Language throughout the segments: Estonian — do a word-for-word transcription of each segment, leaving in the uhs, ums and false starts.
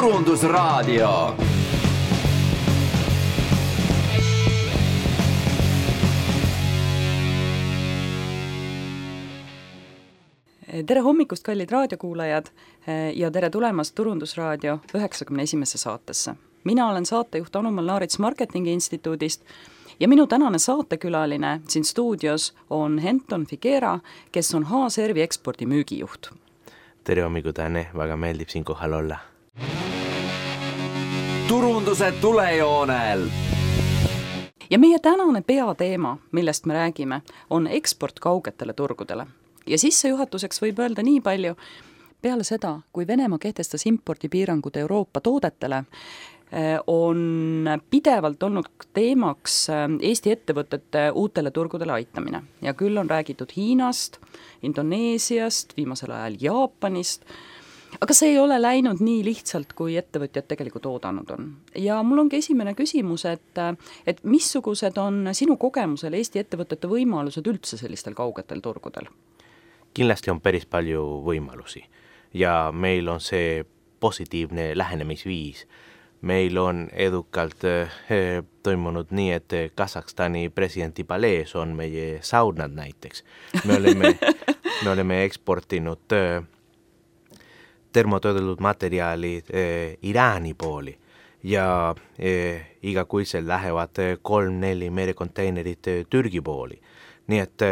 Turundusraadio. Tere hommikust, kallid raadiokuulajad, ja tere tulemast Turundusraadio üheksakümne esimesse saatesse. Mina olen saatejuht Anu Malnaarits Marketingi Instituudist ja minu tänane saatekülaline siin stuudios on Henton Figuera, kes on H-Servi ekspordi müügijuht. Tere hommikut, Anne, väga meeldib siin kohal olla. Turunduse tulejoonel. Ja meie tänane peateema, millest me räägime, on eksport kaugetele turgudele. Ja sissejuhatuseks võib öelda nii palju, peale seda, kui Venemaa kehtestas impordipiirangud Euroopa toodetele, on pidevalt olnud teemaks Eesti ettevõtete uutele turgudele aitamine. Ja küll on räägitud Hiinast, Indoneesiast, viimasel ajal Jaapanist, aga see ei ole läinud nii lihtsalt, kui ettevõtjad tegelikult oodanud on. Ja mul ongi esimene küsimus, et, et missugused on sinu kogemusel Eesti ettevõtete võimalused üldse sellistel kaugetel turgudel? Kindlasti on päris palju võimalusi ja meil on see positiivne lähenemisviis. Meil on edukalt eh, toimunud nii, et Kasahstani presidenti Palees on meie saunad näiteks. Me oleme, me oleme eksportinud eh, termotöödeldud materjali eh, Iraani pooli ja eh, igakuisel lähevad kolm-neli merekonteinerit eh, Türgi pooli. Nii et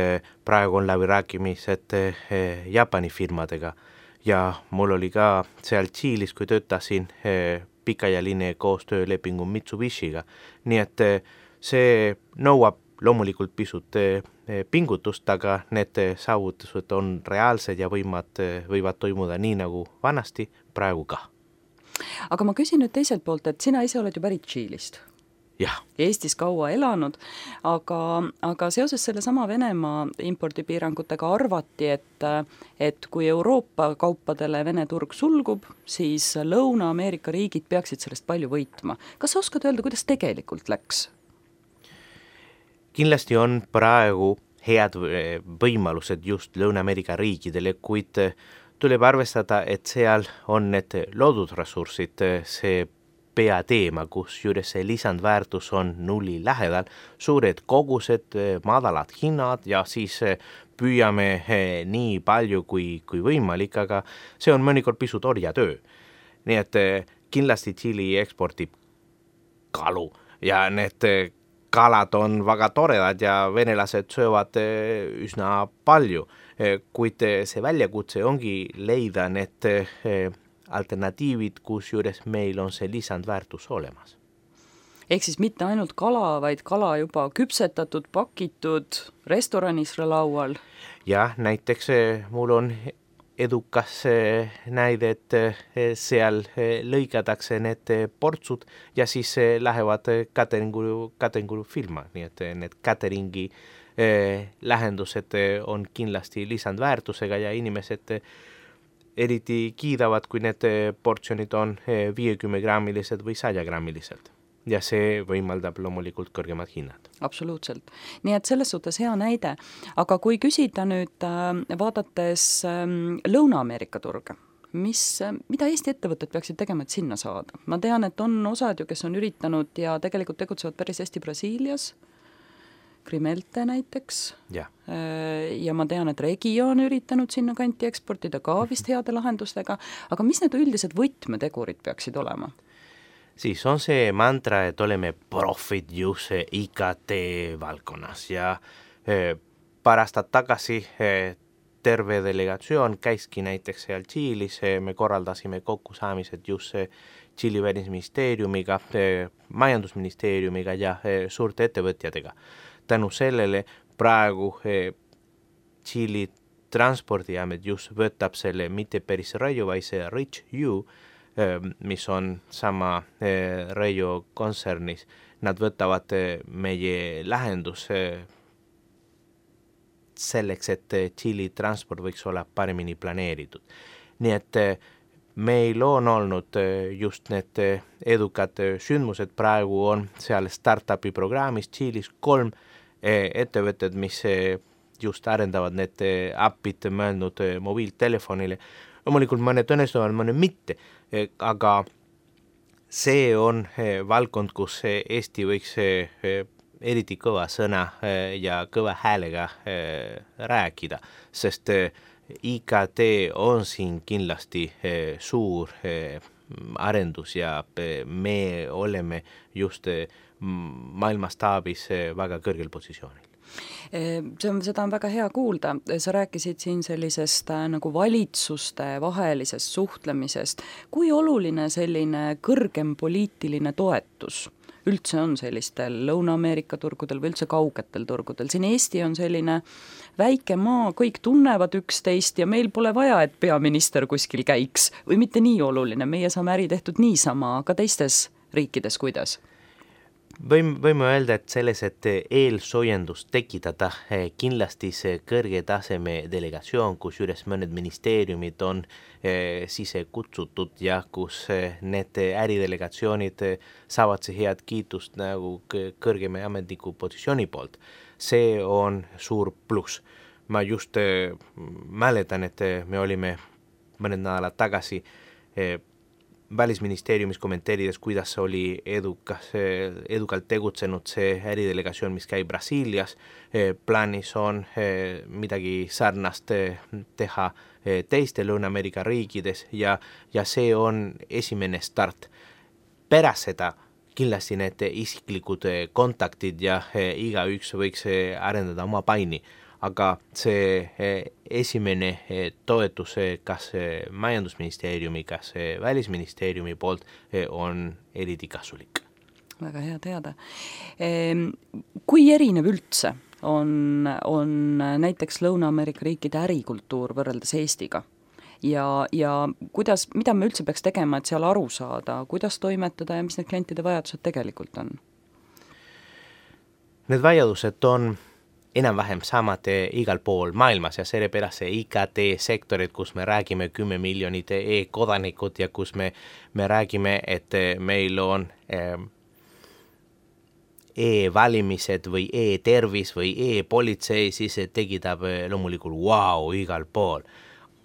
praegu on läbi rääkimised Jaapani firmadega ja mul oli ka seal Tšiilis, kui töötasin pikaajaline koostöölepingu Mitsubishiga. Nii et see nõuab loomulikult pisut pingutust, aga need saavutused on reaalsed ja võivad, võivad toimuda nii nagu vanasti praegu ka. Aga ma küsin nüüd teiselt poolt, et sina ise oled ju pärit Tšiilist. Jah. Eestis kaua elanud, aga, aga seoses selle sama Venemaa impordipiirangutega arvati, et, et kui Euroopa kaupadele Vene turg sulgub, siis Lõuna-Ameerika riigid peaksid sellest palju võitma. Kas sa oskad öelda, kuidas tegelikult läks? Kindlasti on praegu head võimalused just Lõuna-Ameerika riikidele, kuid tuleb arvestada, et seal on need loodusressursid, see peateema, kus juures see lisandväärtus on nulli lähedal, suured kogused, madalad hinnad ja siis püüame nii palju kui, kui võimalik, aga see on mõnikord pisut orjatöö. Nii et kindlasti Tšiili eksportib kalu ja need kalad on väga toredad ja venelased söövad üsna palju, kuid see väljakutse ongi leida need alternatiivid, kus juures meil on see lisandväärtus olemas. Ehk siis mitte ainult kala, vaid kala juba küpsetatud, pakitud, restoranis laual. Ja näiteks mul on edukas näide, et seal lõikatakse need portsud ja siis lähevad cateringu, cateringu firma, nii et need cateringi lähendused on kindlasti lisandväärtusega ja inimesed eriti kiidavad, kui need portsjonid on viiekümne grammilised või sada grammilised. Ja see võimaldab loomulikult kõrgemad hinnad. Absoluutselt. Nii et selles suhtes hea näide. Aga kui küsida nüüd vaadates Lõuna-Ameerika turge, mis, mida Eesti ettevõtted peaksid tegema, et sinna saada? Ma tean, et on osad ju, kes on üritanud ja tegelikult tegutsevad päris hästi Brasiilias, Grimelte näiteks. Ja. ja ma tean, et Regio on üritanud sinna kanti eksportida ka vist heade lahendustega, aga mis need üldised võtmetegurid peaksid olema? Siis on see mantra, et oleme profid just I K T valdkonnas ja pärast tagasi terve delegatsioon käiski näiteks seal Tšiilis, me korraldasime kokkusaamised just Tšiili välisministeeriumiga, majandusministeeriumiga ja suurte ettevõtjatega. Tänu sellele praegu Tšiili transpordiamet just võtab selle mitte päris Raio, vaid see Rich U, mis on sama Raio kontsernis. Nad võtavad meie lahendus selleks, et Tšiili transport võiks olla paremini planeeritud. Nii et meil on olnud just need edukad sündmused, praegu on seal startupi programmis Tšiilis kolm ettevõtted, mis just arendavad need appid mõelnud mobiiltelefonile. Loomulikult mõned õnnestuvad, mõned mitte, aga see on valdkond, kus Eesti võiks eriti kõva sõna ja kõva häälega rääkida, sest I K T on siin kindlasti suur arendus ja me oleme just maailmastaabis väga kõrgel positsioonil. See on, seda on väga hea kuulda. Sa rääkisid siin sellisest nagu valitsuste vahelisest suhtlemisest. Kui oluline selline kõrgem poliitiline toetus üldse on sellistel Lõuna-Ameerika turgudel või üldse kaugetel turgudel? Siin Eesti on selline väike maa, kõik tunnevad üksteist ja meil pole vaja, et peaminister kuskil käiks või mitte nii oluline. Meie saame äri tehtud niisama, aga teistes riikides kuidas? Võime, võime öelda, et selles, et eelsoojendust tekitada kindlasti see kõrge taseme delegatsioon, kus üles mõned ministeeriumid on sisse kutsutud ja kus need äridelegatsioonid saavad see head kiitust nagu kõrgema ametniku positsiooni poolt. See on suur pluss. Ma just mäletan, et me olime mõned nädalad tagasi välisministeeriumis kommenteerides, kuidas oli edukas, edukalt tegutsenud see äridelegatsioon, mis käib Brasiilias. Plaanis on midagi sarnast teha teiste Lõuna-Ameerika riikides ja, ja see on esimene start. Pärast seda kindlasti need isiklikud kontaktid ja iga üks võiks arendada oma paini. Aga see esimene toetus kas majandusministeeriumi, kas välisministeeriumi poolt on eriti kasulik. Väga hea teada. Kui erinev üldse on, on näiteks Lõuna-Ameerika riikide ärikultuur võrreldes Eestiga? Ja, ja kuidas, mida me üldse peaks tegema, et seal aru saada, kuidas toimetada ja mis need klientide vajadused tegelikult on? Need vajadused on enam-vähem samad igal pool maailmas ja sellepärast see I K T-sektorid, kus me räägime kümme miljonit e-kodanikud ja kus me, me räägime, et meil on e-valimised või e-tervis või e-politsei, siis tekitab loomulikult wow igal pool.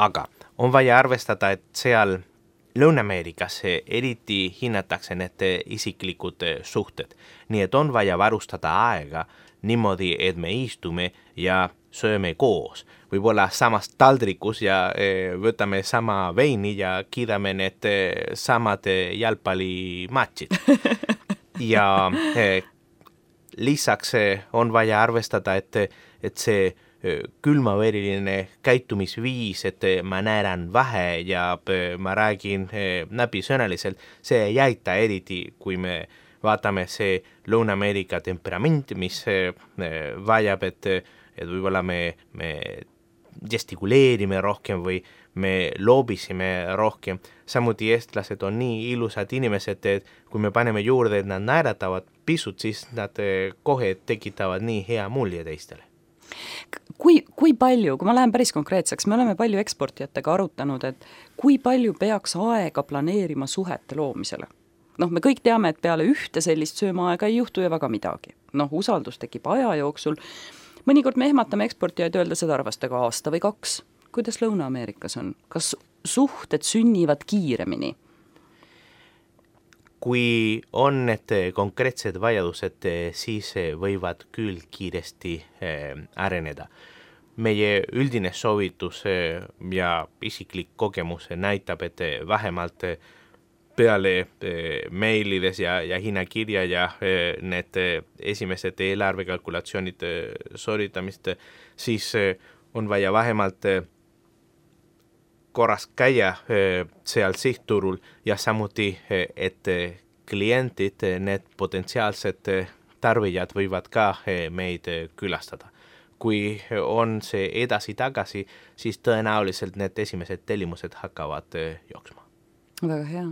Aga on vaja arvestada, et seal Lõuna-Ameerikas eriti hinnatakse need isiklikud suhted. Nii et on vaja varustada aega niimoodi, et me istume ja sööme koos. Võib-olla samas taldrikus ja e, võtame sama veini ja kiidame need samad jalgpallimatšid. Ja e, lisaks on vaja arvestada, et, et see külmaveriline käitumisviis, et ma näeran vähe ja ma räägin näpisõnaliselt, see ei aita eriti, kui me vaatame see Lõuna-Ameerika temperament, mis vajab, et, et võib-olla me, me gestikuleerime rohkem või me loobisime rohkem. Samuti eestlased on nii ilusad inimesed, et kui me paneme juurde, et nad naeratavad pisut, siis nad kohe tekitavad nii hea mulje teistele. Kui, kui palju, kui ma lähen päris konkreetseks, me oleme palju eksportijatega arutanud, et kui palju peaks aega planeerima suhete loomisele? Noh, me kõik teame, et peale ühte sellist söömaaega ei juhtu ja väga midagi. Noh, usaldus tekib aja jooksul. Mõnikord me ehmatame eksportijaid öelda seda arvastega aasta või kaks. Kuidas Lõuna-Ameerikas on? Kas suhted sünnivad kiiremini? Kui on need konkreetsed vajadused, siis võivad küll kiiresti areneda. Meie üldine soovitus ja isiklik kogemus näitab, et vähemalt peale meilides ja, ja hinnakirja ja need esimesed eelarvekalkulatsioonid sooritamist, siis on vaja vähemalt korras käia seal sihtturul ja samuti, et klientid, need potentsiaalsed tarbijad võivad ka meid külastada. Kui on see edasi-tagasi, siis tõenäoliselt need esimesed tellimused hakkavad jooksma. Väga hea.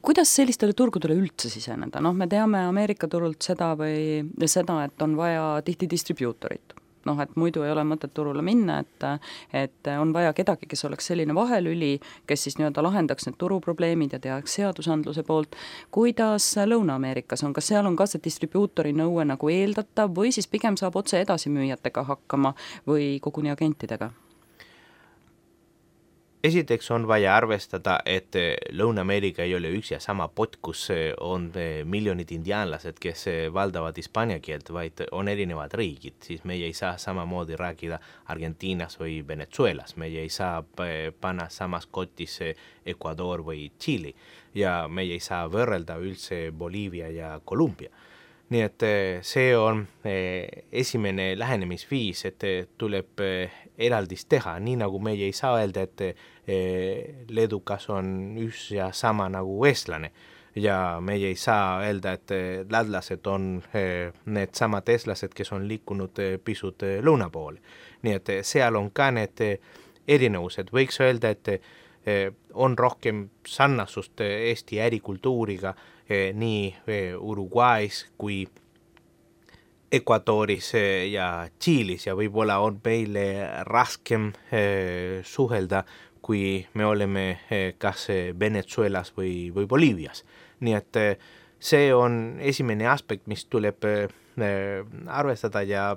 Kuidas sellistele turgudele üldse siseneda? Noh, me teame Ameerika turult seda või seda, et on vaja tihti distribuutorit. Noh, et muidu ei ole mõtet turule minna, et, et on vaja kedagi, kes oleks selline vahelüli, kes siis nii-öelda lahendaks need turuprobleemid ja teaks seadusandluse poolt. Kuidas Lõuna-Ameerikas on? Kas seal on ka see distribuutori nõue nagu eeldatav või siis pigem saab otse edasimüüjatega hakkama või koguni agentidega? esiteks on vaja arvestada, et Lõuna-Ameerika ei ole üks ja sama pott, kus on miljonid indiaanlased, kes valdavad hispaania keelt, vaid on erinevad riigid, siis meie ei saa samamoodi rääkida Argentiinas või Venezuelas, meie ei saa panna samas kotis Ecuador või Tšiili ja meie ei saa võrrelda üldse Boliivia ja Kolumbia. Nii et see on esimene lähenemisviis, et tuleb eraldis teha, nii nagu meie ei saa öelda, et leedukas on üks ja sama nagu eestlane ja meie ei saa öelda, et lätlased on need samad eestlased, kes on liikunud pisut lõuna poole. Nii et seal on ka need erinevused, võiks öelda, et on rohkem sarnasust Eesti ärikultuuriga nii Uruguay's kui Ecuadoris ja Tšiilis ja võib-olla on meile raskem suhelda, kui me oleme kas Venezuelas või, või Boliivias. Nii et see on esimene aspekt, mis tuleb arvestada ja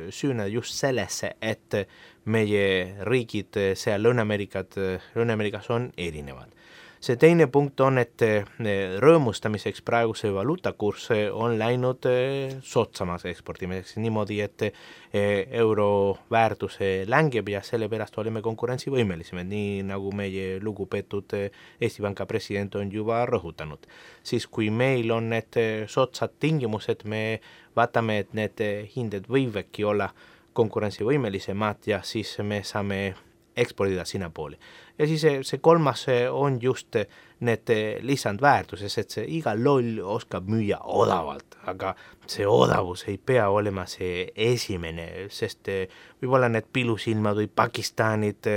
süüneda just sellesse, et meie riigid seal Lõuna-Ameerikat, Lõuna-Ameerikas on erinevad. See teine punkt on, et rõõmustamiseks praeguse valuutakurss on läinud sootsamas eksportimiseks niimoodi, et euro väärtuse längeb ja sellepärast oleme konkurentsivõimelisemad, nii nagu meie lugupeetud Eesti Panga president on juba rõhutanud. Siis kui meil on need sootsad tingimused, me vaatame, et need hinded võivadki olla konkurentsivõimelisemad ja siis me saame ekspordida sinna pooli. Ja siis see, see kolmas on just need lisandväärtuses, et see iga loll oskab müüa odavalt, aga see odavus ei pea olema see esimene, sest võib-olla need pilusilmad või Pakistanid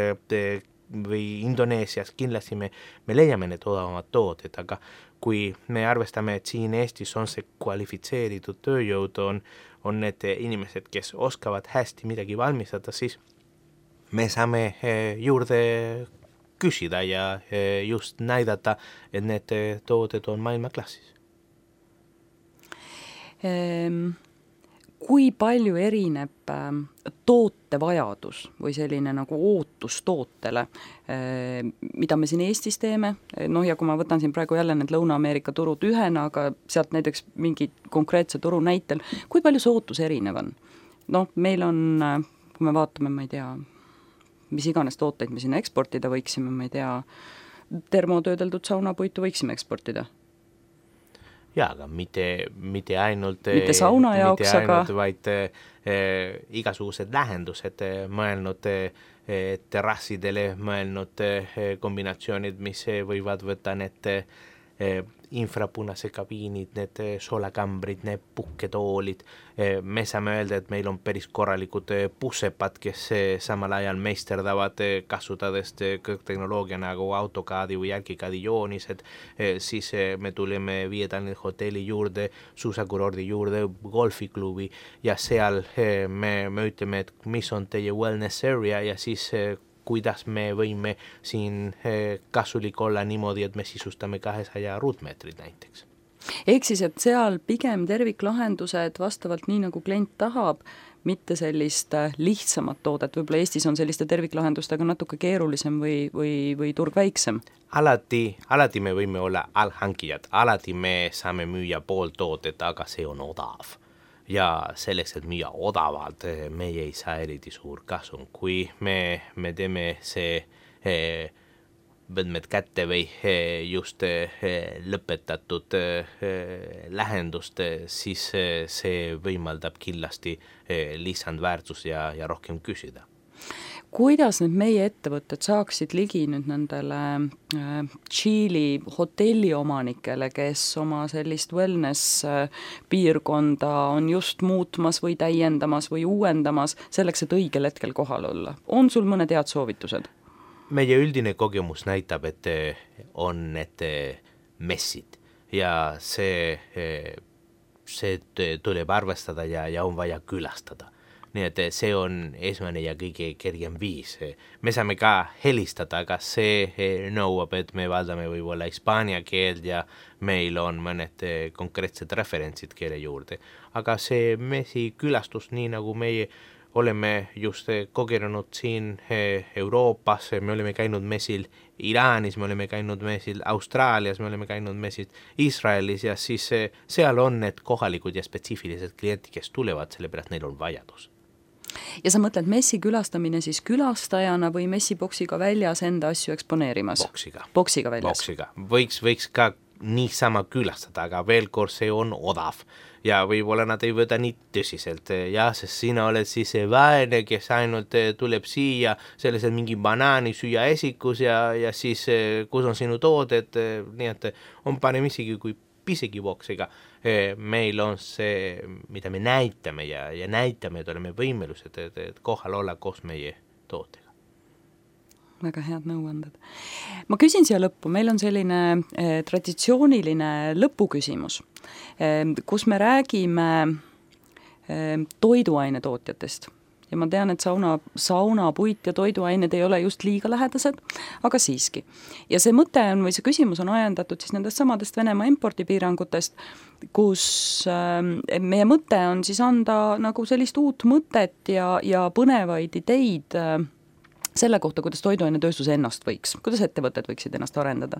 või Indoneesias kindlasti me, me leiame need odavamad tooted, aga kui me arvestame, et siin Eestis on see kvalifitseeritud tööjõud, on, on need inimesed, kes oskavad hästi midagi valmistada, siis me saame juurde küsida ja just näidata, et need tooted on maailmaklassis. Kui palju erineb tootevajadus või selline nagu ootus tootele, mida me siin Eestis teeme, noh ja kui ma võtan siin praegu jälle need Lõuna-Ameerika turud ühena, aga sealt näiteks mingi konkreetse turu näitel, kui palju see ootus erinev on? Noh, meil on, kui me vaatame, ma ei tea, mis iganes tooteid me sinna eksportida võiksime, ma ei tea, termotöödeldud saunapuitu võiksime eksportida. Jaa, aga mitte, mitte ainult, mitte sauna jaoks, mitte ainult, aga vaid eh, igasugused lähendused, mõelnud eh, terrassidele, mõelnud eh, kombinatsioonid, mis võivad võtta need eh, infrapunase kabiinid, need soolakambrid, need puhketoolid. Me saame öelda, et meil on päris korralikud bussepad, kes samal ajal meisterdavad kasutades kõrgteknoloogia nagu AutoCAD või ArchiCAD joonised, siis me tuleme Viie-Tallinna hotelli juurde, suusakurordi juurde, golfiklubi ja seal me, me ütleme, et mis on teie wellness area ja siis kuidas me võime siin kasulik olla niimoodi, et me sisustame kahesaja ruutmeetrit näiteks. Ehk siis, et seal pigem terviklahendused vastavalt nii, nagu klient tahab, mitte sellist lihtsamat toodet, võib-olla Eestis on selliste terviklahendustega natuke keerulisem või, või, või turg väiksem? Alati, alati me võime olla allhankijad, alati me saame müüa pool toodet, aga see on odav. Ja selleks, et müüa odavalt, meie ei saa eriti suur kasum. Kui me, me teeme see eh, võtmed kätte või eh, just eh, lõpetatud eh, lähendust, siis eh, see võimaldab kindlasti eh, lisandväärtus ja, ja rohkem küsida. Kuidas nüüd meie ettevõtted saaksid ligi nüüd nendele äh, Tšiili hotelliomanikele, kes oma sellist wellness äh, piirkonda on just muutmas või täiendamas või uuendamas selleks, et õigel hetkel kohal olla? On sul mõned head soovitused? Meie üldine kogemus näitab, et on need messid ja see, see tuleb arvestada ja, ja on vaja külastada. Nii et see on esmane ja kõige kergem viis. Me saame ka helistada, aga see nõuab, et me valdame võib-olla hispaania keeld ja meil on mõned konkreetsed referentsid keele juurde. Aga see messi külastus, nii nagu meie oleme just kogenud siin Euroopas, me oleme käinud messil Iraanis, me oleme käinud messil Austraalias, me oleme käinud messil Iisraelis ja siis seal on need kohalikud ja spetsiifilised kliendid, kes tulevad, sellepärast neil on vajadus. Ja sa mõtled messi külastamine siis külastajana või messiboksiga väljas enda asju eksponeerimas? Boksiga. Boksiga väljas? Boksiga. Võiks, võiks ka niisama külastada, aga veel kord see on odav ja võib-olla nad ei võta nii tõsiselt ja sest sina oled siis see vaene, kes ainult tuleb siia sellised mingi banaani süüa esikus ja, ja siis kus on sinu tooded, nii et on parem isegi kui pisegi boksiga. Meil on see, mida me näitame ja, ja näitame, et oleme võimelused, et, et kohal olla koos meie tootega. Väga head nõuanded. Ma küsin siia lõppu, meil on selline eh, traditsiooniline lõpuküsimus, eh, kus me räägime eh, toiduainetootjatest. Ja ma tean, et sauna, sauna, puit ja toiduained ei ole just liiga lähedased, aga siiski. Ja see mõte on, või see küsimus on ajendatud siis nendest samadest Venemaa impordipiirangutest, kus eh, meie mõte on siis anda nagu sellist uut mõtet ja, ja põnevaid ideid eh, selle kohta, kuidas toiduainetööstus ennast võiks, kuidas ettevõtted võiksid ennast arendada.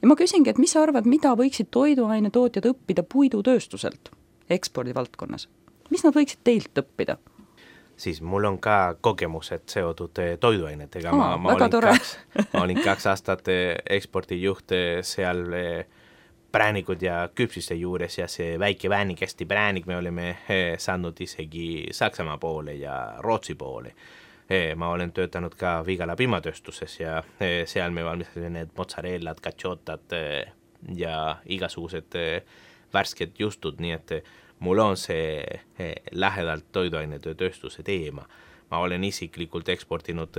Ja ma küsingi, et mis sa arvad, mida võiksid toiduainetootjad õppida puidutööstuselt ekspordivaldkonnas? Mis nad võiksid teilt õppida? Siis mul on ka kogemused seotud toiduainetega. Aa, ma, ma, väga olin tore. kaks, ma olin kaks aastat ekspordijuht seal präänikud ja küpsiste juures ja see väike väänikesti präänik me olime saanud isegi Saksamaa poole ja Rootsi poole. Ma olen töötanud ka Vigala piimatööstuses ja seal me valmistasime need mozzarellad, caciotad ja igasugused värsked justud, nii et mul on see lähedalt toiduainetööstuse teema. Ma olen isiklikult eksportinud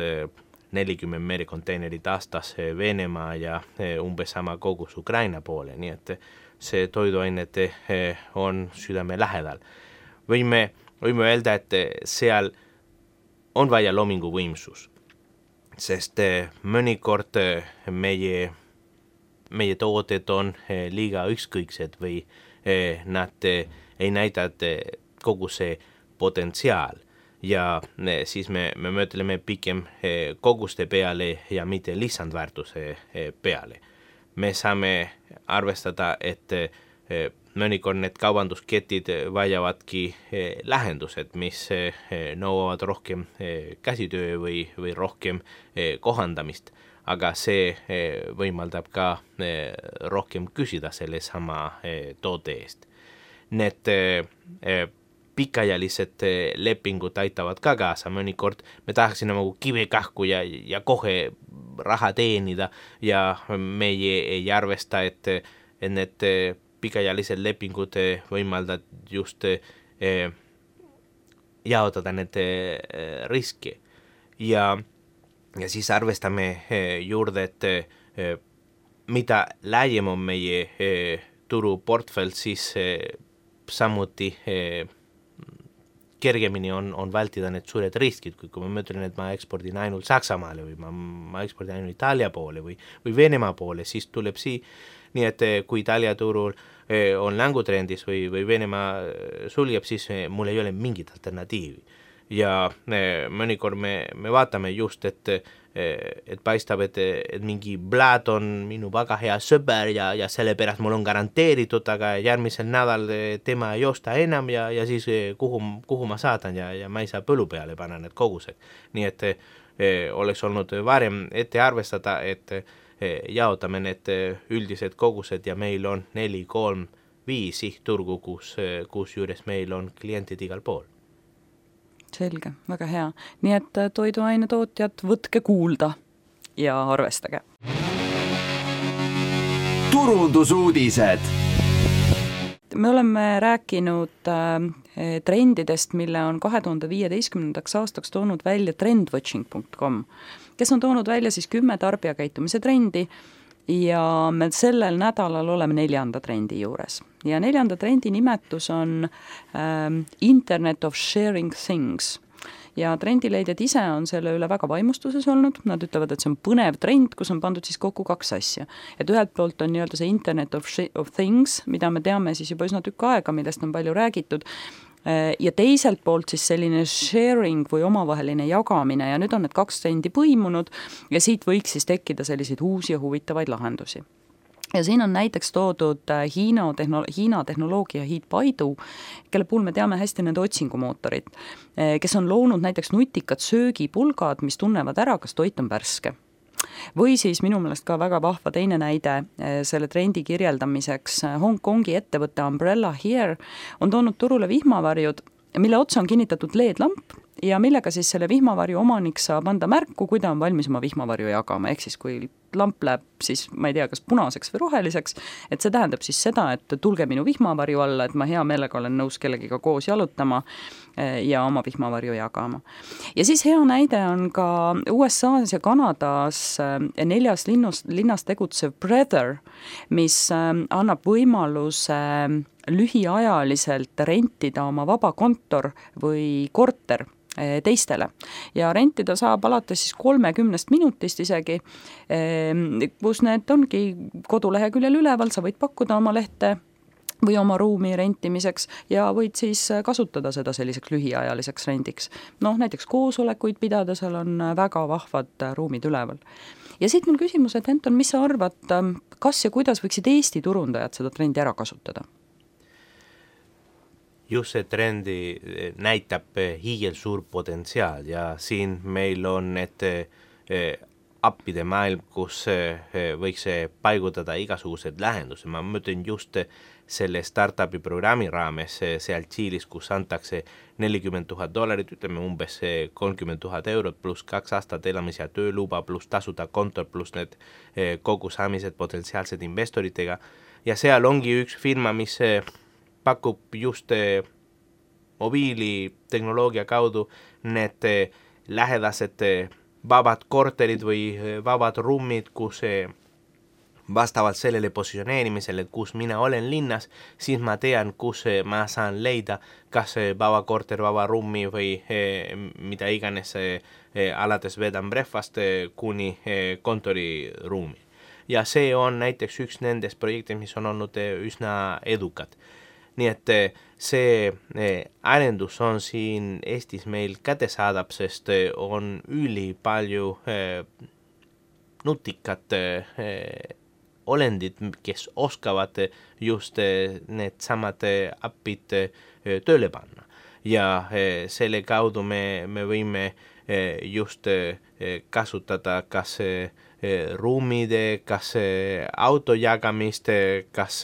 nelikümmend merekonteinerit aastas Venemaa ja umbes sama kogus Ukraina poole, nii et see toiduained on südame lähedal. Võime, võime öelda, et seal on vaja loomingu võimsus, sest mõnikord meie, meie tooted on liiga ükskõiksed või nad ei näita kogu see potentsiaal ja siis me, me mõtleme pikem koguste peale ja mitte lisandväärtuse peale. Me saame arvestada, et mõnikord need kaubandusketid vajavadki lähendused, mis nõuavad rohkem käsitöö või, või rohkem kohandamist, aga see võimaldab ka rohkem küsida selle sama toote eest. Need pikajalised lepingud aitavad ka kaasa, mõnikord me tahaksime nagu kive kahku ja, ja kohe raha teenida ja meie ei arvesta, et, et need pikajalised lepingud võimaldavad just eh, jaotada need eh, riski. Ja, ja siis arvestame eh, juurde, et eh, mida laiem on meie eh, turuportfell, siis eh, samuti eh, kergemini on, on vältida need suured riskid, kui, kui ma mõtlen, et ma ekspordin ainult Saksamaale või ma, ma ekspordin ainult Itaalia poole või, või Venemaa poole, siis tuleb sii. Nii et kui Itaalia turul on längutrendis või, või Venemaa sulgeb, siis mul ei ole mingit alternatiivi. Ja mõnikord me, me vaatame just, et, et paistab, et, et mingi Blad on minu väga hea sõber ja, ja sellepärast mul on garanteeritud, aga järgmisel nädal tema ei osta enam ja, ja siis kuhu, kuhu ma saatan ja, ja ma ei saa põlu peale panna need kogused. Nii et oleks olnud varem ette arvestada, et jaotame need üldised kogused ja meil on neli, kolm, viis sihtturgu, kus, kus juures meil on klientid igal pool. Selge, väga hea. Nii et toiduainetootjad, võtke kuulda ja arvestage. Turundusuudised. Me oleme rääkinud äh, trendidest, mille on kahe tuhande viieteistkümnendaks aastaks toonud välja trendwatching punkt com, kes on toonud välja siis kümme tarbijakäitumise trendi ja me sellel nädalal oleme neljanda trendi juures. Ja neljanda trendi nimetus on äh, Internet of Sharing Things. Ja trendileidjad ise on selle üle väga vaimustuses olnud, nad ütlevad, et see on põnev trend, kus on pandud siis kokku kaks asja. Et ühelt poolt on nii-öelda see Internet of, of Things, mida me teame siis juba üsna tükk aega, millest on palju räägitud, ja teiselt poolt siis selline sharing või omavaheline jagamine ja nüüd on need kaks trendi põimunud ja siit võiks siis tekkida selliseid uusi ja huvitavaid lahendusi. Ja siin on näiteks toodud Hiina, tehno, Hiina tehnoloogia hiid Baidu, kelle puhul me teame hästi nende otsingumootorit, kes on loonud näiteks nutikad söögipulgad, mis tunnevad ära, kas toit on värske. Või siis minu meelest ka väga vahva teine näide selle trendi kirjeldamiseks. Hongkongi ettevõtte Umbrella Here on toonud turule vihmavarjud, mille otsa on kinnitatud L E D-lamp ja millega siis selle vihmavarju omanik saab anda märku, kui ta on valmis oma vihmavarju jagama, ehk siis kui lamp läheb siis, ma ei tea, kas punaseks või roheliseks, et see tähendab siis seda, et tulge minu vihmavarju alla, et ma hea meelega olen nõus kellegiga koos jalutama ja oma vihmavarju jagama. Ja siis hea näide on ka U S A-s ja Kanadas neljas linnus, linnas tegutsev Brother, mis annab võimaluse lühiajaliselt rentida oma vaba kontor või korter teistele ja rentida saab alates siis kolmekümnest minutist isegi, kus need ongi koduleheküljel üleval, sa võid pakkuda oma lehte või oma ruumi rentimiseks ja võid siis kasutada seda selliseks lühiajaliseks rendiks. Noh, näiteks koosolekuid pidada, seal on väga vahvad ruumid üleval. Ja siit mul küsimus, et Anton, mis sa arvad, kas ja kuidas võiksid Eesti turundajad seda trendi ära kasutada? Just see trendi näitab hiigel suur potentsiaal ja siin meil on need appide maailm, kus võiks paigutada igasugused lahendused. Ma mõtlen just selle startupi programmi raames seal Tšiilis, kus antakse nelikümmend tuhat dollarit, ütleme umbes kolmkümmend tuhat eurot pluss kaks aastat elamis- ja tööluba pluss tasuda kontor pluss need kogusaamised potentsiaalsed investoritega ja seal ongi üks firma, mis pakub just mobiilitehnoloogia kaudu need lähedased vabad korterid või vabad ruumid, kus vastavalt sellele positsioneerimisele, kus mina olen linnas, siis ma tean, kus ma saan leida kas vaba korter, vaba ruumi või mida iganes alates bed and breakfast kuni kontoriruumi. Ja see on näiteks üks nendest projektid, mis on olnud üsna edukad. Nii et see arendus on siin Eestis meil kätesaadab, sest on üli palju nutikad olendid, kes oskavad just need samad appid tööle panna. Ja selle kaudu me, me võime just kasutada kas ruumide, kas auto jagamist, kas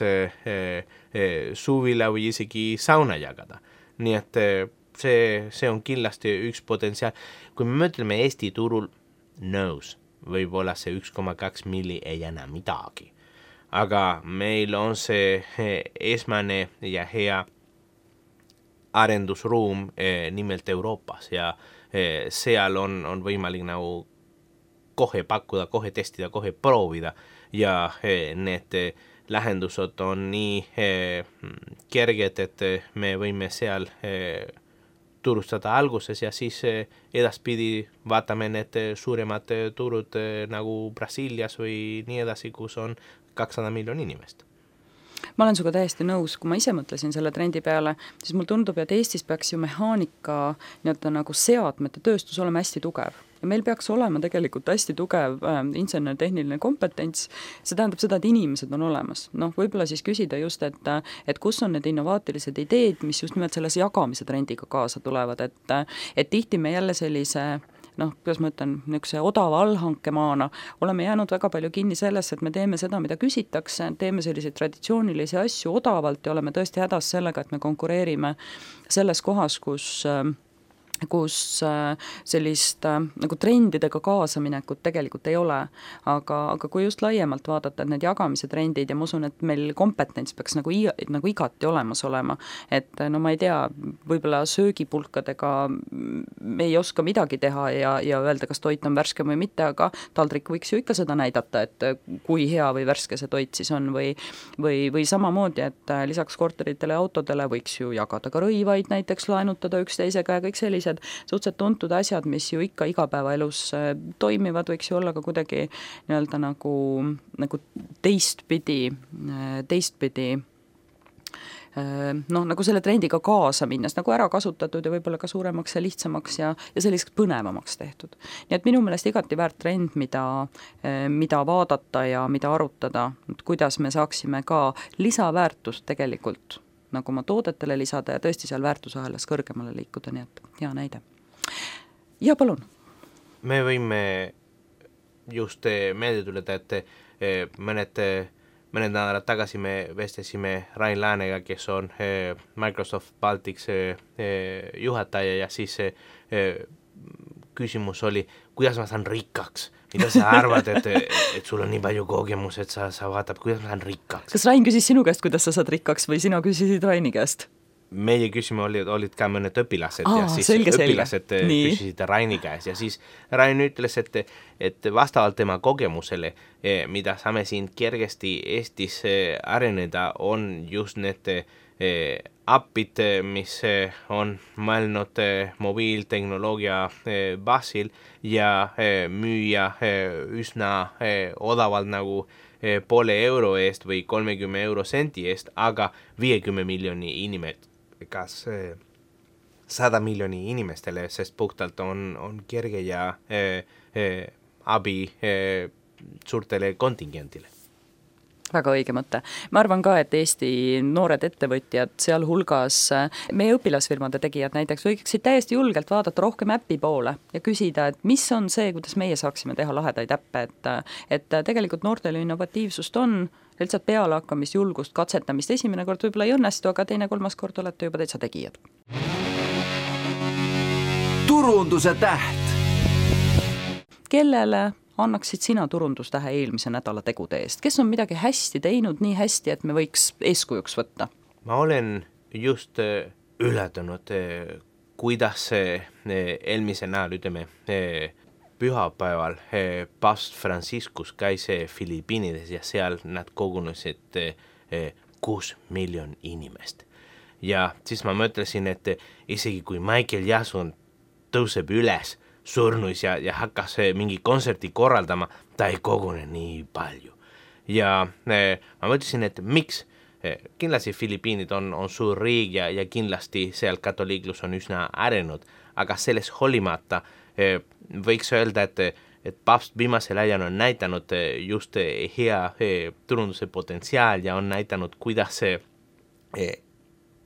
suvila või isegi sauna jagada. Nii et see, see on kindlasti üks potentsiaal. Kui me mõtleme Eesti turul nõus, võib-olla see üks koma kaks milli ei enam midagi. Aga meil on see esmane ja hea arendusruum nimelt Euroopas ja seal on, on võimalik nagu kohe pakkuda, kohe testida, kohe proovida ja need lahendused on nii kerged, et me võime seal turustada alguses ja siis edaspidi vaatame need suuremad turud nagu Brasiilias või nii edasi, kus on kakssada miljonit inimest. Ma olen suga täiesti nõus, kui ma ise mõtlesin selle trendi peale, siis mul tundub, et Eestis peaks ju mehaanika nii-öelda nagu seadmete tööstus olema hästi tugev. Ja meil peaks olema tegelikult hästi tugev äh, insener-tehniline kompetents, see tähendab seda, et inimesed on olemas. Noh, võib-olla siis küsida just, et, et kus on need innovaatilised ideed, mis just nimelt selles jagamise trendiga kaasa tulevad, et, et tihti me jälle sellise noh, kuidas ma ütlen, niisuguse odava allhankemaana oleme jäänud väga palju kinni sellesse, et me teeme seda, mida küsitakse, teeme selliseid traditsioonilisi asju odavalt ja oleme tõesti hädas sellega, et me konkureerime selles kohas, kus kus sellist nagu trendidega kaasaminekut tegelikult ei ole, aga, aga kui just laiemalt vaadata, et need jagamise trendid ja ma usun, et meil kompetents peaks nagu, nagu igati olemas olema, et no ma ei tea, võib-olla söögipulkadega me ei oska midagi teha ja, ja öelda, kas toit on värske või mitte, aga taldrik võiks ju ikka seda näidata, et kui hea või värske see toit siis on või, või, või samamoodi, et lisaks korteritele ja autodele võiks ju jagada ka rõivaid, näiteks laenutada üksteisega ja kõik sellised suhteliselt tuntud asjad, mis ju ikka igapäevaelus toimivad, võiks ju olla ka kuidagi nii-öelda nagu, nagu teistpidi, teistpidi noh, nagu selle trendiga kaasa minnes, nagu ära kasutatud ja võib-olla ka suuremaks ja lihtsamaks ja, ja selliseks põnevamaks tehtud. Nii et minu meelest igati väärt trend, mida, mida vaadata ja mida arutada, et kuidas me saaksime ka lisaväärtust tegelikult nagu oma toodetele lisada ja tõesti seal väärtusahelas kõrgemale liikuda, nii et hea näide. Ja palun. Me võime just meelde tuleda, et mõned, mõned nädalad tagasi me vestlesime Rain Läänega, kes on Microsoft Baltics juhataja ja siis küsimus oli, kuidas ma saan rikkaks? Mida sa arvad, et, et sul on nii palju kogemus, et sa, sa vaatab, kuidas ma saan rikkaks? Kas Rain küsis sinu käest, kuidas sa saad rikkaks või sina küsisid Raini käest? Meie küsime olid, olid ka mõned õpilased Aa, ja siis selge, õpilased selge. küsisid Raini käes ja siis Rain ütles, et, et vastavalt tema kogemusele, mida saame siin kergesti Eestis areneda, on just need appid, mis on mõelnud mobiiltehnoloogia baasil ja müüa üsna odavalt nagu poole euro eest või kolmekümne euro sendi eest, aga viiekümne miljoni inimet, kas sada miljoni inimestele, sest puhtalt on, on kerge ja eh, eh, abi eh, suurtele kontingentile. Väga õige mõte. Ma arvan ka, et Eesti noored ettevõtjad, sealhulgas meie õpilasfirmade tegijad näiteks võiksid täiesti julgelt vaadata rohkem äppi poole ja küsida, et mis on see, kuidas meie saaksime teha lahedaid äppe, et, et tegelikult noortele innovatiivsust on, lihtsalt peale hakkamist, julgust, katsetamist, esimene kord võib-olla ei õnnestu, aga teine, kolmas kord olete juba täitsa tegijad. Turunduse täht. Kellele annaksid sina turundustähe eelmise nädala tegude eest? Kes on midagi hästi teinud, nii hästi, et me võiks eeskujuks võtta? Ma olen just ületanud, kuidas eelmise nädal, ütleme, pühapäeval Paavst Franciscus käis Filipiinides ja seal nad kogunesid kuus miljon inimest. Ja siis ma mõtlesin, et isegi kui Michael Jackson tõuseb üles surnuis ja, ja hakkas mingi kontserti korraldama, ta ei kogune nii palju. Ja ma mõtlesin, et miks? Kindlasti Filipiinid on, on suur riik ja, ja kindlasti seal katoliiklus on üsna arenud, aga selles holimata võiks öelda, et, et paavst viimasel ajal on näitanud just hea turunduse potentsiaal ja on näitanud, kuidas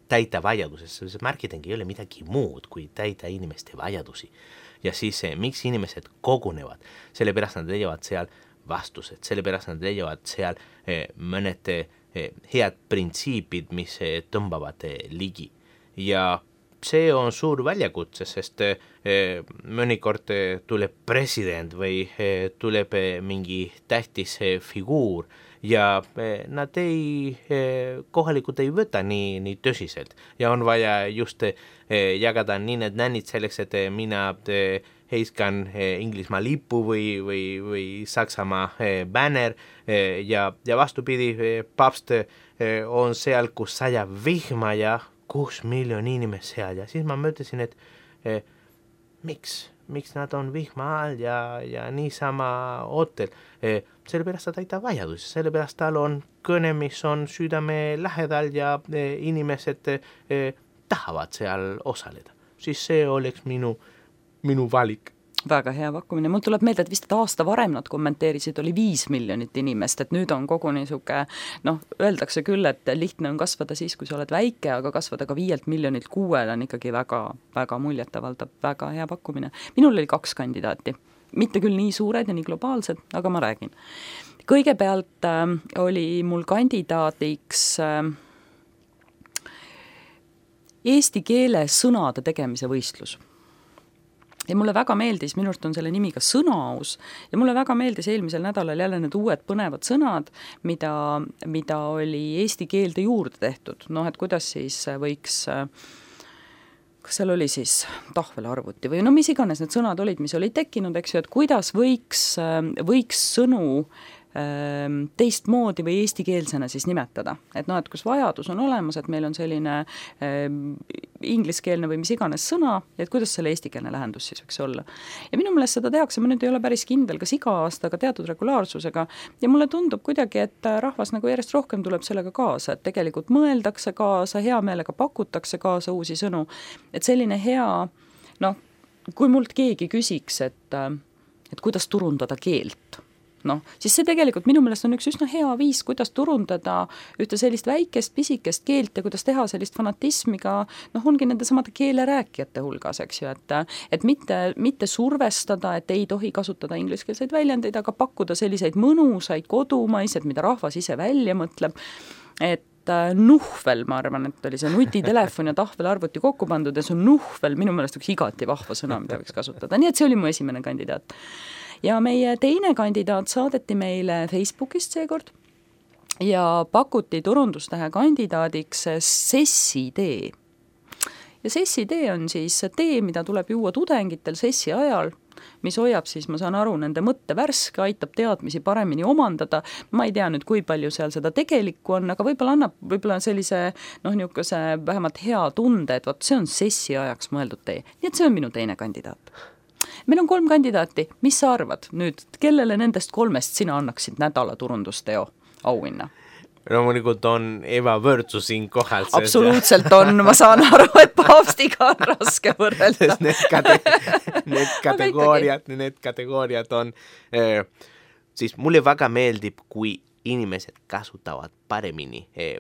täita vajaduses. See marketing ei ole midagi muud, kui täita inimeste vajadusi. Ja siis miks inimesed kogunevad? Sellepärast nad leiavad seal vastused, sellepärast nad leiavad seal mõned head printsiipid, mis tõmbavad ligi. Ja see on suur väljakutse, sest eh, mõnikord tuleb president või eh, tuleb mingi tähtis eh, figuur ja eh, nad ei, eh, kohalikud ei võta nii, nii tõsiselt ja on vaja just eh, jagada nii need nännid selleks, et mina eh, heiskan eh, Inglismaa lipu või, või, või Saksamaa eh, banner eh, ja, ja vastupidi, eh, paavst eh, on seal, kus sajab vihma ja kuus miljon inimest seal ja siis ma mõtlesin, et eh, miks, miks nad on vihma all ja, ja niisama ootel. Eh, sellepärast ta täita vajadusi, sellepärast tal on kõne, mis on südame lähedal ja eh, inimesed eh, tahavad seal osaleda. Siis see oleks minu, minu valik. Väga hea pakkumine. Mul tuleb meelde, et vist et aasta varem nad kommenteerisid, oli viis miljonit inimest, et nüüd on kogu niisuke, noh, öeldakse küll, et lihtne on kasvada siis, kui sa oled väike, aga kasvada ka viielt miljonilt kuuel on ikkagi väga, väga muljetavaldav, väga hea pakkumine. Minul oli kaks kandidaati, mitte küll nii suured ja nii globaalsed, aga ma räägin. Kõigepealt äh, oli mul kandidaadiks äh, eesti keele sõnade tegemise võistlus. Ja mulle väga meeldis, minust on selle nimi ka sõnaaus ja mulle väga meeldis eelmisel nädalal jälle need uued põnevad sõnad, mida, mida oli eesti keelde juurde tehtud. Noh, et kuidas siis võiks, kas seal oli siis tahvelarvuti või no mis iganes need sõnad olid, mis olid tekkinud, eks ju, et kuidas võiks, võiks sõnu teistmoodi või eestikeelsena siis nimetada. Et noh, et kus vajadus on olemas, et meil on selline äh, ingliskeelne või mis iganes sõna, et kuidas selle eestikeelne lähendus siis võiks olla. Ja minu meelest seda tehakse, ma nüüd ei ole päris kindel, kas iga aasta, aga teatud regulaarsusega, ja mulle tundub kuidagi, et rahvas nagu järjest rohkem tuleb sellega kaasa, et tegelikult mõeldakse kaasa, hea meelega pakutakse kaasa uusi sõnu, et selline hea, noh, kui mult keegi küsiks, et, et kuidas turundada keelt, noh, siis see tegelikult minu meelest on üks üsna hea viis, kuidas turundada ühte sellist väikest, pisikest keelt ja kuidas teha sellist fanatismi ka, noh, ongi nende samade keelerääkijate hulgas, eks ju, et, et mitte, mitte survestada, et ei tohi kasutada ingliskeelseid väljendeid, aga pakkuda selliseid mõnusaid, kodumaised, mida rahvas ise välja mõtleb, et nuhvel, ma arvan, et oli see nutitelefon ja tahvelarvuti kokku pandud ja see nuhvel minu meelest üks igati vahva sõna, mida võiks kasutada. Nii et see oli mu esimene kandidaat. Ja meie teine kandidaat saadeti meile Facebookist seekord ja pakuti turundustähe kandidaadiks sessi-tee. Ja sessi-tee on siis tee, mida tuleb juua tudengitel sessi ajal, mis hoiab siis, ma saan aru, nende mõtte värske, aitab teadmisi paremini omandada. Ma ei tea nüüd, kui palju seal seda tegelikku on, aga võib-olla annab võib-olla sellise, noh, niisuguse vähemalt hea tunde, et vaat see on sessi ajaks mõeldud tee. Nii et see on minu teine kandidaat. Meil on kolm kandidaati. Mis sa arvad nüüd, kellele nendest kolmest sina annaksid nädala turundusteo auhinna? Loomulikult on ebavõrdsus siin kohal. Absoluutselt on, ma saan aru, et paavstiga on raske võrrelda. Need, kate, need kategooriad, need kategooriad on, eh, siis mulle väga meeldib, kui inimesed kasutavad paremini eh,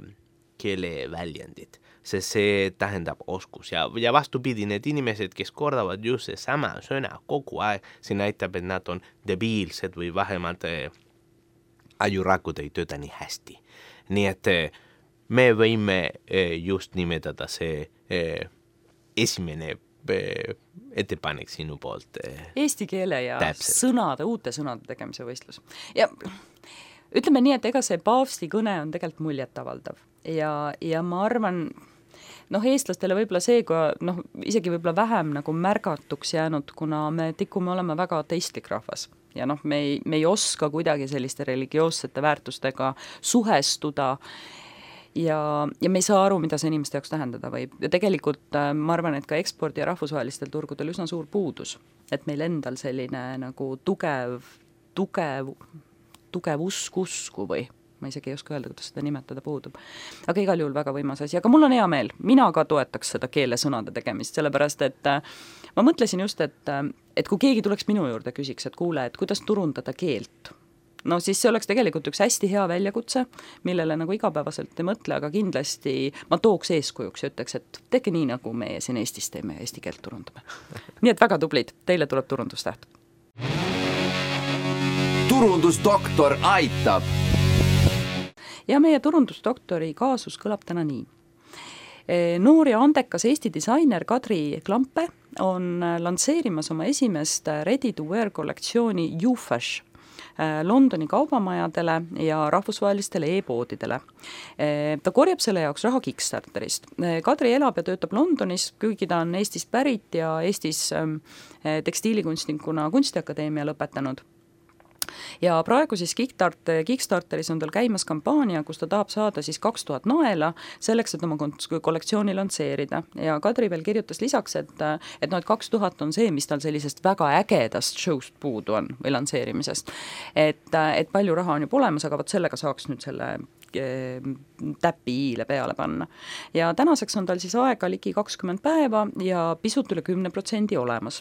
keeleväljendid, sest see tähendab oskus ja, ja vastupidi, need inimesed, kes kordavad just see sama sõna kogu aeg, see näitab, et nad on debiilsed või vähemalt eh, ajurakud ei tööta nii hästi. Nii et me võime just nimetada see esimene ettepanek sinu poolt. Eesti keele ja täpselt. Sõnade, uute sõnade tegemise võistlus. Ja ütleme nii, et ega see paavsti kõne on tegelikult muljetavaldav. Ja, ja ma arvan, noh, eestlastele võib-olla see, kui noh, isegi võib-olla vähem nagu märgatuks jäänud, kuna me tikume olema väga ateistlik rahvas. Ja noh, me ei, me ei oska kuidagi selliste religioossete väärtustega suhestuda ja, ja me ei saa aru, mida see inimeste jaoks tähendada võib. Ja tegelikult ma arvan, et ka ekspordi ja rahvusvahelistel turgudel üsna suur puudus, et meil endal selline nagu tugev, tugev, tugev usk usku või ma isegi ei oska öelda, kuidas seda nimetada puudub. Aga igal juhul väga võimas asi. Aga mul on hea meel, mina ka toetaks seda keelesõnade tegemist, sellepärast et ma mõtlesin just, et, et kui keegi tuleks minu juurde küsiks, et kuule, et kuidas turundada keelt, no siis see oleks tegelikult üks hästi hea väljakutse, millele nagu igapäevaselt ei mõtle, aga kindlasti ma tooks eeskujuks ja ütleks, et tehke nii, nagu meie siin Eestis teeme ja eesti keelt turundame. Nii et väga tublid, teile tuleb turundustäht. Turundusdoktor aitab! Ja meie turundusdoktori kaasus kõlab täna nii. Noor ja andekas Eesti disainer Kadri Klampe on lansseerimas oma esimest ready-to-wear kollektsiooni YouFash Londoni kaubamajadele ja rahvusvahelistele e-poodidele. Ta korjab selle jaoks raha Kickstarterist. Kadri elab ja töötab Londonis, kuigi ta on Eestist pärit ja Eestis tekstiilikunstnikuna Kunstiakadeemia lõpetanud. Ja praegu siis Kickstarteris on tal käimas kampaania, kus ta tahab saada siis kaks tuhat naela selleks, et oma kollektsiooni lansseerida. Ja Kadri veel kirjutas lisaks, et, et, no, et kaks tuhat on see, mis tal sellisest väga ägedast showst puudu on või lansseerimisest. Et, et palju raha on juba olemas, aga võt sellega saaks nüüd selle täpi iile peale panna. Ja tänaseks on tal siis aega ligi kakskümmend päeva ja pisut üle kümne protsendi olemas.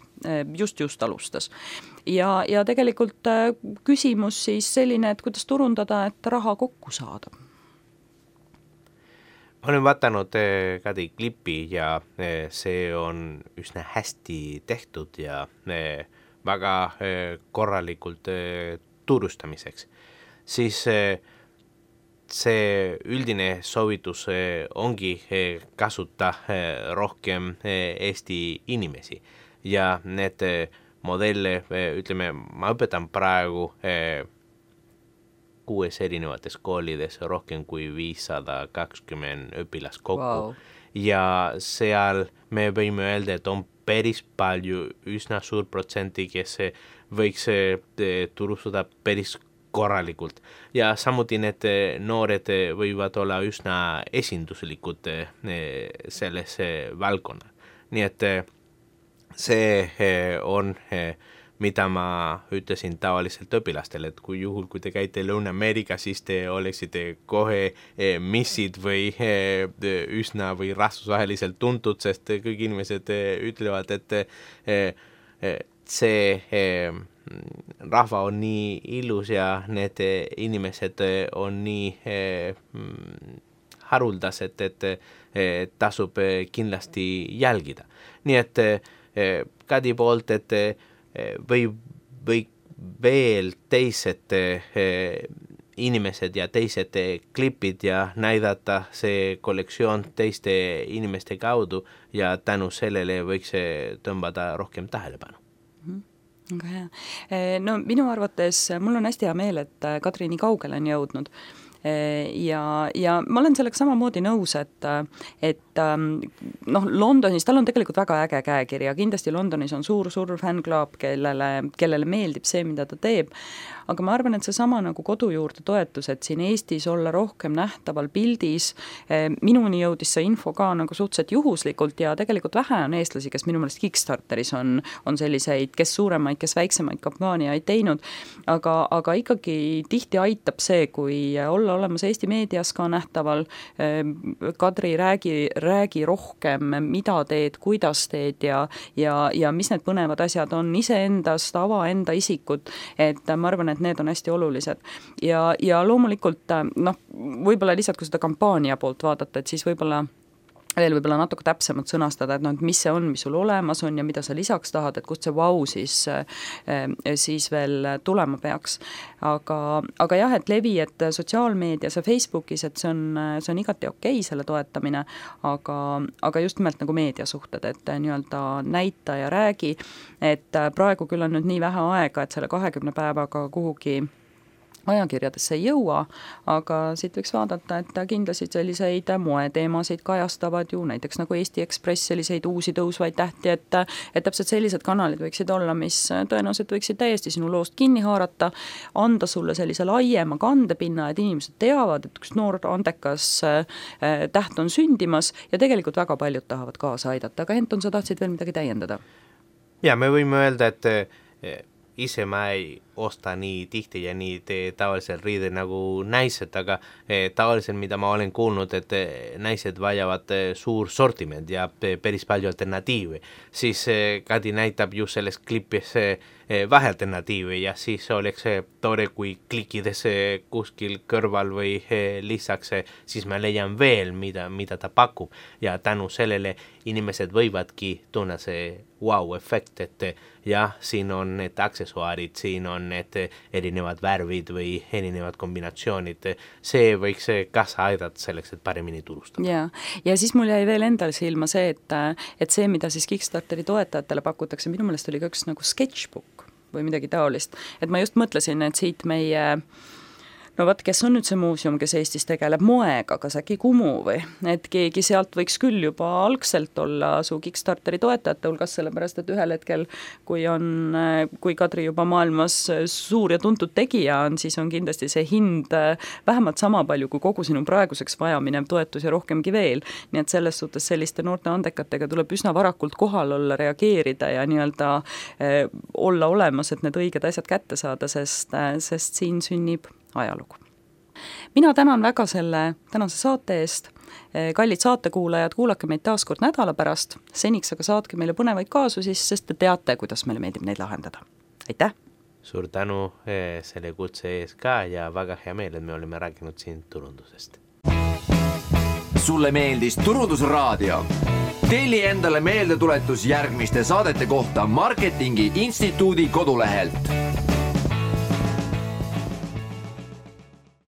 Just just alustas. Ja, ja tegelikult küsimus siis selline, et kuidas turundada, et raha kokku saada. Ma olen vaadanud Kadri klippi ja see on üsna hästi tehtud ja väga korralikult turustamiseks. Siis see üldine soovitus ongi kasuta rohkem Eesti inimesi ja need modelle, ütleme, ma õpetan praegu kuues erinevates koolides rohkem kui viissada kakskümmend õpilast kokku. Wow. Ja seal me võime öelda, et on päris palju, üsna suur protsenti, kes võiks turustada päris korralikult ja samuti need noored võivad olla üsna esinduslikud selles valdkonna. Nii et see on mida ma ütlesin tavaliselt õpilastele, et kui juhul, kui te käite Lõuna-Ameerika, siis te oleksite kohe missid või üsna või rahvusvaheliselt tuntud, sest kõik inimesed ütlevad, et see rahva on nii ilus ja need inimesed on nii haruldased, et tasub kindlasti jälgida. Nii et Kadi poolt, et või, või veel teised inimesed ja teised klipid ja näidata see kollektsioon teiste inimeste kaudu ja tänu sellele võiks tõmbada rohkem tähelepanu. Väga hea. No minu arvates mul on hästi hea meel, et Kadri nii kaugele on jõudnud. Ja, ja ma olen sellega samamoodi nõus, et, et noh, Londonis, tal on tegelikult väga äge käekiri ja kindlasti Londonis on suur, suur fännklaab, kellele, kellele meeldib see, mida ta teeb. Aga ma arvan, et see sama nagu kodu juurde toetus, et siin Eestis olla rohkem nähtaval pildis, minuni jõudis see info ka nagu suhteliselt juhuslikult ja tegelikult vähe on eestlasi, kes minu meelest Kickstarteris on, on selliseid, kes suuremaid, kes väiksemaid kampaaniaid teinud, aga, aga ikkagi tihti aitab see, kui olla olemas Eesti meedias ka nähtaval. Kadri, räägi, räägi rohkem, mida teed, kuidas teed ja, ja, ja mis need põnevad asjad on iseendast, ava enda isikut, et ma arvan, et need on hästi olulised. Ja, ja loomulikult, noh, võib-olla lihtsalt, kui seda kampaania poolt vaadata, et siis võib-olla veel võib-olla natuke täpsemalt sõnastada, et, no, et mis see on, mis sul olemas on ja mida sa lisaks tahad, et kust see vau siis, siis veel tulema peaks. Aga, aga jah, et levi, et sotsiaalmeedias ja Facebookis, et see on, see on igati okei selle toetamine, aga, aga just nimelt nagu meediasuhted, et nii-öelda näita ja räägi, et praegu küll on nüüd nii vähe aega, et selle kahekümne päevaga kuhugi ajakirjadesse ei jõua, aga siit võiks vaadata, et kindlasti selliseid moeteemasid kajastavad ju näiteks nagu Eesti Ekspress, selliseid uusi tõusvaid tähti, et, et täpselt sellised kanalid võiksid olla, mis tõenäoliselt võiksid täiesti sinu loost kinni haarata, anda sulle sellise laiema kandepinna, et inimesed teavad, et üks noor andekas täht on sündimas ja tegelikult väga paljud tahavad kaasa aidata, aga Henton, sa tahtsid veel midagi täiendada? Ja, me võime öelda, et ise ma ei osta nii tihti ja nii tee tavalisel riide nagu naised, aga tavaliselt, mida ma olen kuulnud, et naised vajavad suur sortiment ja päris palju alternatiivi, siis Kadi näitab ju selles klipis vähe alternatiivi ja siis oleks tore, kui klikides kuskil kõrval või lisaks, siis ma leian veel, mida, mida ta pakub ja tänu sellele inimesed võivadki tunne see wow-efekt, et jah, siin on need aksessuaarid, siin on need erinevad värvid või erinevad kombinatsioonid, see võiks kaasa aidata selleks, et paremini turustada. Ja, ja siis mul jäi veel endal silma see, et, et see, mida siis Kickstarteri toetajatele pakutakse, minu meelest oli ka üks nagu sketchbook või midagi taolist, et ma just mõtlesin, et siit meie no vaat, kes on nüüd see muuseum, kes Eestis tegeleb moega, kas äkki Kumu või, et keegi sealt võiks küll juba algselt olla su Kickstarteri toetajate hulgas, sellepärast et ühel hetkel, kui on, kui Kadri juba maailmas suur ja tuntud tegija on, siis on kindlasti see hind vähemalt sama palju kui kogu sinu praeguseks vajaminev toetus ja rohkemgi veel. Nii et selles suhtes selliste noorte andekatega tuleb üsna varakult kohal olla, reageerida ja nii-öelda eh, olla olemas, et need õiged asjad kätte saada, sest, sest siin sünnib ajalugu. Mina tänan väga selle tänase saate eest. Kallid saatekuulajad, kuulake meid taas kord nädala pärast. Seniks aga saatke meile põnevaid kaasusi, sest te teate, kuidas meile meeldib neid lahendada. Aitäh! Suur tänu selle kutse ees ka ja väga hea meel, et me oleme rääkinud siin turundusest. Sulle meeldis Turundusraadio? Telli endale meeldetuletus järgmiste saadete kohta Marketingi Instituudi kodulehelt.